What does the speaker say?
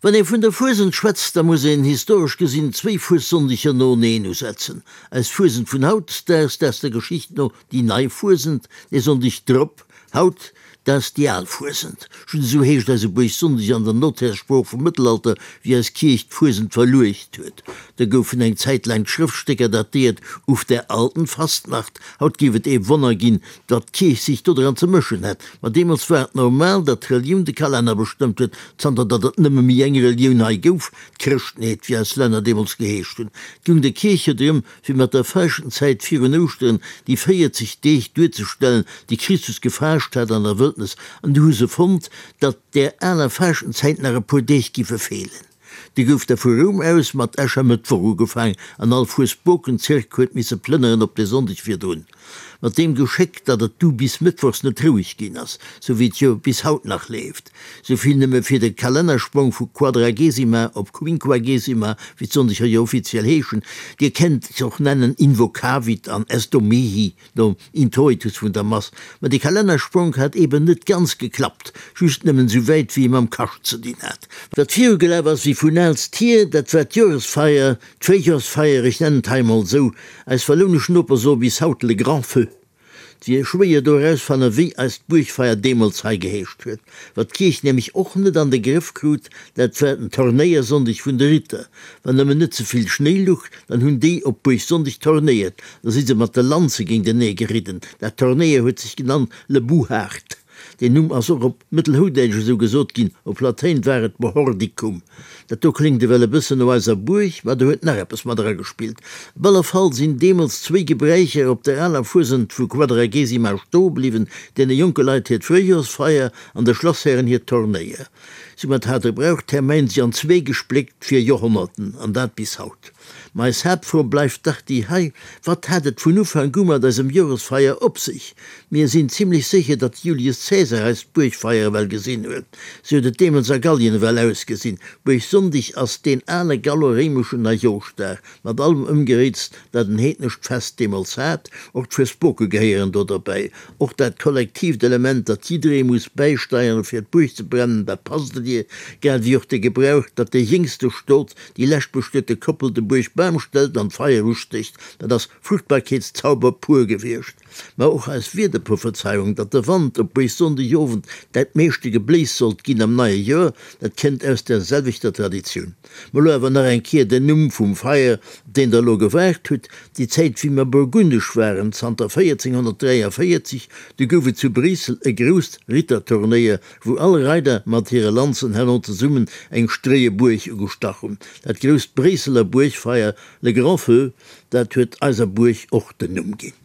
Wann ee vun der Fuesent schwätzt, da muss een historesch gesinn zwéi Fuessonndeger noeneen usetzen. Eis Fuesent vun haut, dat ass der Geschicht no déi nei Fuesent, dee Sonndeg drop, haut, dat ass déi al Fuesent. Just esou heescht eise Buergsonndeg an der Notärssprooch vum Mëttelalter, wéi eis Kierch d'Fuesent verluecht huet. Da goufen eng Zäit laang d'Schrëftstécker datéiert uf der alten Fastnacht. Haut géif et ee Wonner ginn, datt d'Kierch sech dodran ze mëschen hätt. Ma deemools war et normal, datt d'Relioun de Kalenner bestëmmt huet, zanter datt et nëmme méi eng Relioun hei gouf, d'Chrëschtenheet, wéi eis Länner deemools geheescht hunn. Et goung der Kierch jo drëm, fir mat der Faaschtenzäit virun Ouschteren déi 40 Deeg duerzestellen, déi Christus gefaascht hat an der Wëldnes, an du hu se fonnt, datt där aler Faaschtenzäit nach e puer Deeg giffe feelen. Du gouf da vu Roum aus mat Äschermëttwoch ugefaang an all Fuesbokenzirk huet misse plënneren op de Sonndeg virdrun. Mat deem Geschéck, datt et du bis mëttwochs net roueg ginn ass, sou wéi et jo bis haut nach leeft. Souvill nëmme fir de Kalennersprong vu Quadragesima op Quinquagesima, wéi d'Sonndeger jo offiziell heeschen. Dir kennt se och nennen Invocavit an Esto mihi. Nom Introitus vun der Mass. Ma de Kalennerspronk hat eben net ganz geklappt, just nëmmen esou wäit wéi e mam Kascht ze dinn hat. Wat virugelaf ass wéi vun aalst hier, dat war d'Joresfeier, d'Fréijorsfeier, ech nennen et hei emol esou. Eis wallounesch Noper soe bis haut le grand feu. Et wier schwéier do erausfannen, wéi eist Buergfeier deemools hei geheescht huet. Wat d'Kierch nämlech och net an de Grëff krut, dat war den Tornéiersonndeg vun de Ritter. Wann nëmmen net ze vill Schnéi luch, dann hunn déi op Buergsonndeg tornéiert, da si se mat de Lanze géintenee geridden. Dat Tornéier huet sech genannt le Buhart. Deen Numm ass och op Mëttelhoudäitsch esou gesot ginn, op Latéin war et Bohordicum. Dat do kléngt ewell e bëssen no eiser Buerg, ma do huet nach eppes mat eragespillt. Op alle Fall sinn deemools zwéi Gebräicher op der aler Fuesent vu Quadragesima stoe bliwwen, deene jonke Leit hiert Fréijorsfeier an de Schlosshären hiert Tornéier. Soumat hat de Brauch Termäin sech an zwee gespléckt fir Joerhonnerten, an dat bis haut. Ma eis Haaptfro bleift dach déi hei, Wat hat et vun Ufank u mat eisem Joresfeier op sech? Mir sinn zimlech sécher, datt Julius Caesar eist Buergfeier ewell gesinn huet. Sou huet et deemools a Gallien ewell ausgesinn. Buergsonndeg ass deen ale gallo-réimeschen Neijooschdag, mat allem Ëmgeréits, dat en heednescht Fest deemools hat. Och d'Fuesboke gehéieren do derbäi. Och dat kollektiivt Element, datt jidderee muss bäisteieren, fir d'Buerg ze brennen, dat passt dir, grad ewéi och de Gebrauch, datt de jéngste Stot déi leschtbestuete Koppel de Buergbam stellt an d'Feier ustécht, dat ass Fruchtbarkeetszauber pur gewiescht. Ma och eis Wiederprophezeiung, datt de Wand op Buergsonndegowend dat meeschte Gebléis sollt ginn am neie Joer, dat kënnt aus der selwechter Traditioun. Ma lo awer nach eng Kéier den Numm vum Feier, op deen der elo gewaart hutt, Déi Zäit wéi mer burgundesch waren, zanter 1443, du gouf et zu Bréissel e grousst Ritterturnéier, wou all Reider mat hire Lanzen herno zesummen eng stréie Buerg ugestach hunn. Dat grousst Bréisseler Buergfeier, le grand feu, dat huet eiser Buerg och den Numm ginn.